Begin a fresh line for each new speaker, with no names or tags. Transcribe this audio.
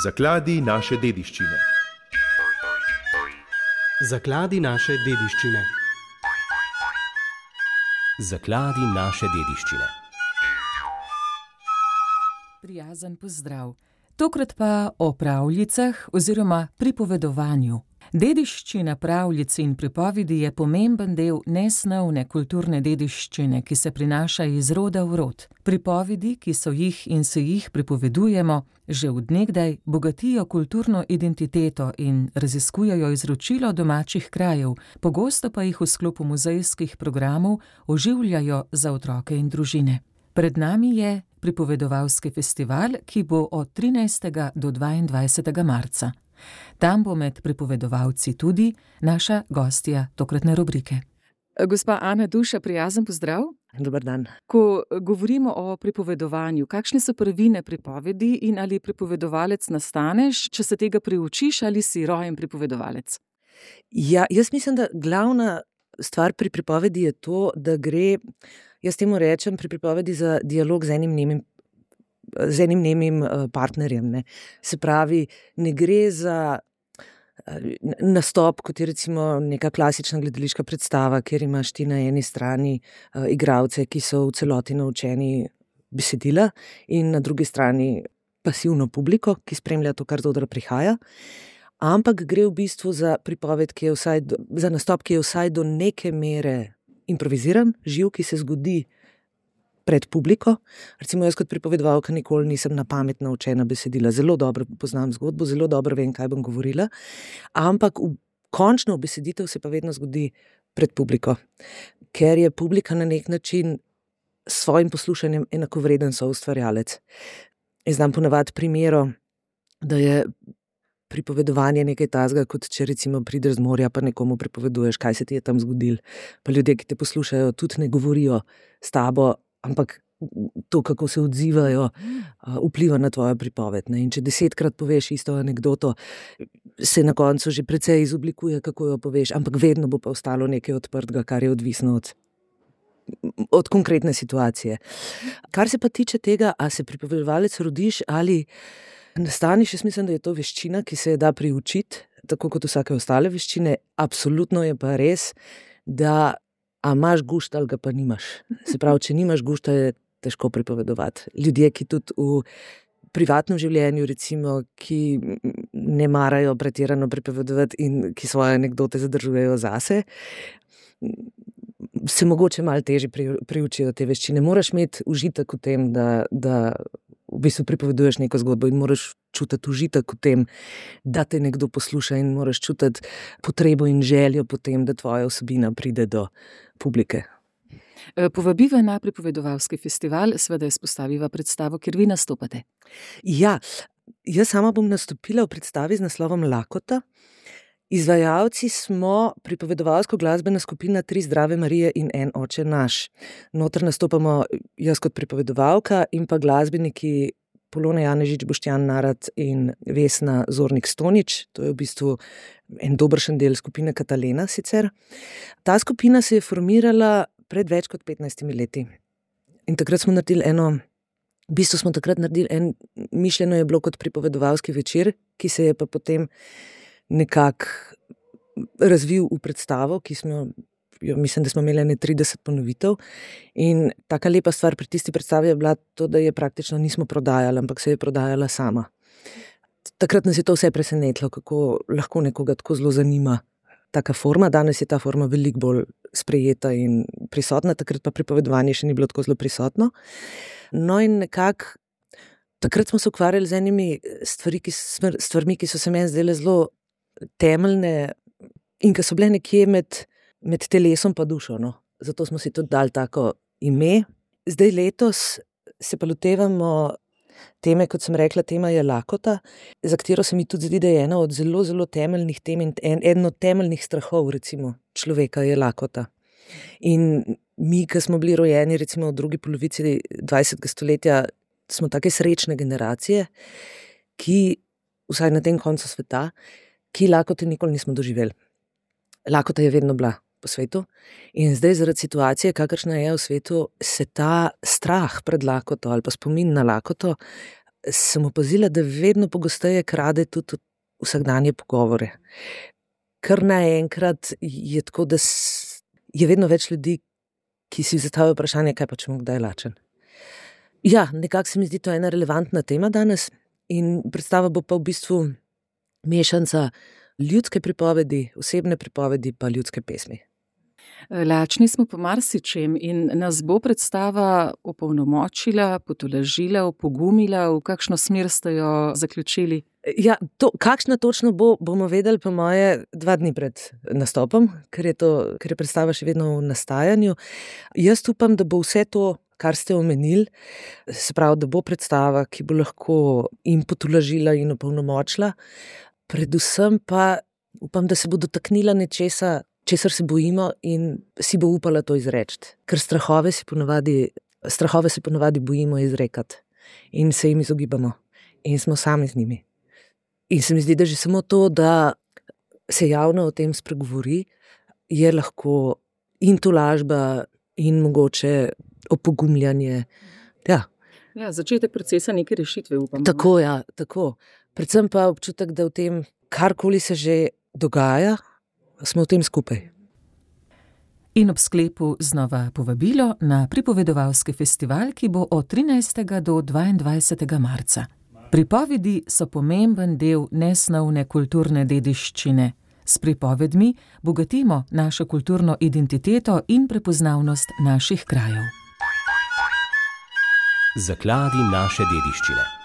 Zakladi naše dediščine.
Zakladi naše dediščine.
Zakladi naše dediščine.
Prijazen pozdrav. Tokrat pa o pravljicah oziroma pripovedovanju. Dediščina pravljic in pripovedi je pomemben del nesnovne kulturne dediščine, ki se prinaša iz roda v rod. Pripovedi, ki so jih in se jih pripovedujemo, že od nekdaj bogatijo kulturno identiteto in raziskujejo izročilo domačih krajev, pogosto pa jih v sklopu muzejskih programov oživljajo za otroke in družine. Pred nami je pripovedovalski festival, ki bo od 13. do 22. marca. Tam bo med pripovedovalci tudi naša gostja tokratne rubrike. Gospa Ana Duša, prijazen pozdrav.
Dober dan.
Ko govorimo o pripovedovanju, kakšne so prvine pripovedi in ali pripovedovalec nastaneš, če se tega priučiš ali si rojen pripovedovalec?
Ja, jaz mislim, da glavna stvar pri pripovedi je to, da gre, jaz temu rečem, pri pripovedi za dialog z enim nemim partnerjem. Ne. Se pravi, ne gre za nastop, kot je recimo neka klasična gledališka predstava, kjer imaš ti na eni strani igralce, ki so v celoti naučeni besedila, in na drugi strani pasivno publiko, ki spremlja to, kar z odra prihaja. Ampak gre v bistvu za pripoved, za nastop, ki je vsaj do neke mere improviziran, živ, ki se zgodi pred publiko. Recimo jaz kot pripovedovalka nikoli nisem na pamet naučena besedila. Zelo dobro poznam zgodbo, zelo dobro vem, kaj bom govorila, ampak končna beseditev se pa vedno zgodi pred publiko, ker je publika na nek način s svojim poslušanjem enakovreden soustvarjalec. Jaz znam ponavadi primeru, da je pripovedovanje nekaj takega, kot če recimo prideš z morja pa nekomu pripoveduješ, kaj se ti je tam zgodilo. Pa ljudje, ki te poslušajo, tudi ne govorijo s tabo, ampak to, kako se odzivajo, vpliva na tvojo pripoved. Ne? In če 10-krat poveš isto anekdoto, se na koncu že precej izoblikuje, kako jo poveš, ampak vedno bo pa ostalo nekaj odprtega, kar je odvisno od konkretne situacije. Kar se pa tiče tega, a se pripovedovalec rodiš ali nastaneš, jaz mislim, da je to veščina, ki se je da priučiti, tako kot vsake ostale veščine. Absolutno je pa res, da a imaš gušt ali ga pa nimaš. Se pravi, če nimaš gušta, je težko pripovedovati. Ljudje, ki tudi v privatnem življenju, recimo, ki ne marajo pretirano pripovedovati in ki svoje anekdote zadržujejo zase, se mogoče malo težje priučijo te veščine. Moraš imeti užitek v tem, da v bistvu pripoveduješ neko zgodbo in moraš čutiti užitek v tem, da te nekdo posluša, in moraš čutiti potrebo in željo po tem, da tvoja vsebina pride do publike.
Povabiva na pripovedovalski festival, seveda izpostaviva predstavo, kjer vi nastopate.
Ja, jaz sama bom nastopila v predstavi z naslovom Lakota. Izvajalci smo pripovedovalsko glasbena skupina Tri zdrave Marije in en oče naš. Noter nastopamo jaz kot pripovedovalka in pa glasbeniki Polona Janežič, Boštjan Narat in Vesna Zornik-Stonič. To je v bistvu en dobršen del skupine Katalena sicer. Ta skupina se je formirala pred več kot 15 leti. In takrat smo naredili mišljeno je bilo kot pripovedovalski večer, ki se je pa potem nekako razvil v predstavo, ki smo mislim, da smo imeli 30 ponovitev. In taka lepa stvar pri tisti predstavi je bila to, da je praktično nismo prodajali, ampak se je prodajala sama. Takrat nas je to vse presenetilo, kako lahko nekoga tako zelo zanima taka forma. Danes je ta forma veliko bolj sprejeta in prisotna, takrat pa pripovedovanje še ni bilo tako zelo prisotno. No in nekako takrat smo se ukvarjali z enimi stvarmi, ki so se meni zdele zelo temeljne in ki so bile nekje med telesom pa dušo. No. Zato smo si tudi dali tako ime. Zdaj letos se pa lotevamo teme, kot sem rekla, tema je lakota, za katero se mi tudi zdi, da je ena od zelo, zelo temeljnih tem in eden od temeljnih strahov, recimo, človeka je lakota. In mi, ki smo bili rojeni recimo v drugi polovici 20. stoletja, smo take srečne generacije, ki, vsaj na tem koncu sveta, ki lakote nikoli nismo doživeli. Lakota je vedno bila po svetu in zdaj zaradi situacije, kakršna je v svetu, se ta strah pred lakoto ali pa spomin na lakoto sem opazila, da vedno pogosteje krade tudi vsakdanje pogovore. Kar naenkrat je tako, da je vedno več ljudi, ki si zastavijo vprašanje, kaj pa če bom kdaj lačen. Ja, nekako se mi zdi to ena relevantna tema danes in predstava bo pa v bistvu mešanca ljudske pripovedi, osebne pripovedi pa ljudske pesmi.
Lačni smo po marsičem in nas bo predstava opolnomočila, potolažila, opogumila, v kakšno smer ste jo zaključili?
Ja, kakšna točno bo, bomo vedeli po moje 2 dni pred nastopom, ker je predstava še vedno v nastajanju. Jaz upam, da bo vse to, kar ste omenili, se pravi, da bo predstava, ki bo lahko in potolažila in opolnomočila, predvsem pa upam, da se bo dotaknila nečesa, česar se bojimo in si bo upala to izreči. Ker strahove se ponavadi bojimo izrekati in se jim izogibamo in smo sami z njimi. In se mi zdi, da že samo to, da se javno o tem spregovori, je lahko in tolažba in mogoče opogumljanje. Ja.
Ja, začetek procesa neke rešitve, upam.
Tako, ja, tako. Predvsem pa občutek, da v tem, karkoli se že dogaja, smo v tem skupaj.
In ob sklepu znova povabilo na pripovedovalski festival, ki bo od 13. do 22. marca. Pripovedi so pomemben del nesnovne kulturne dediščine. S pripovedmi bogatimo našo kulturno identiteto in prepoznavnost naših krajev.
Zakladi naše dediščine.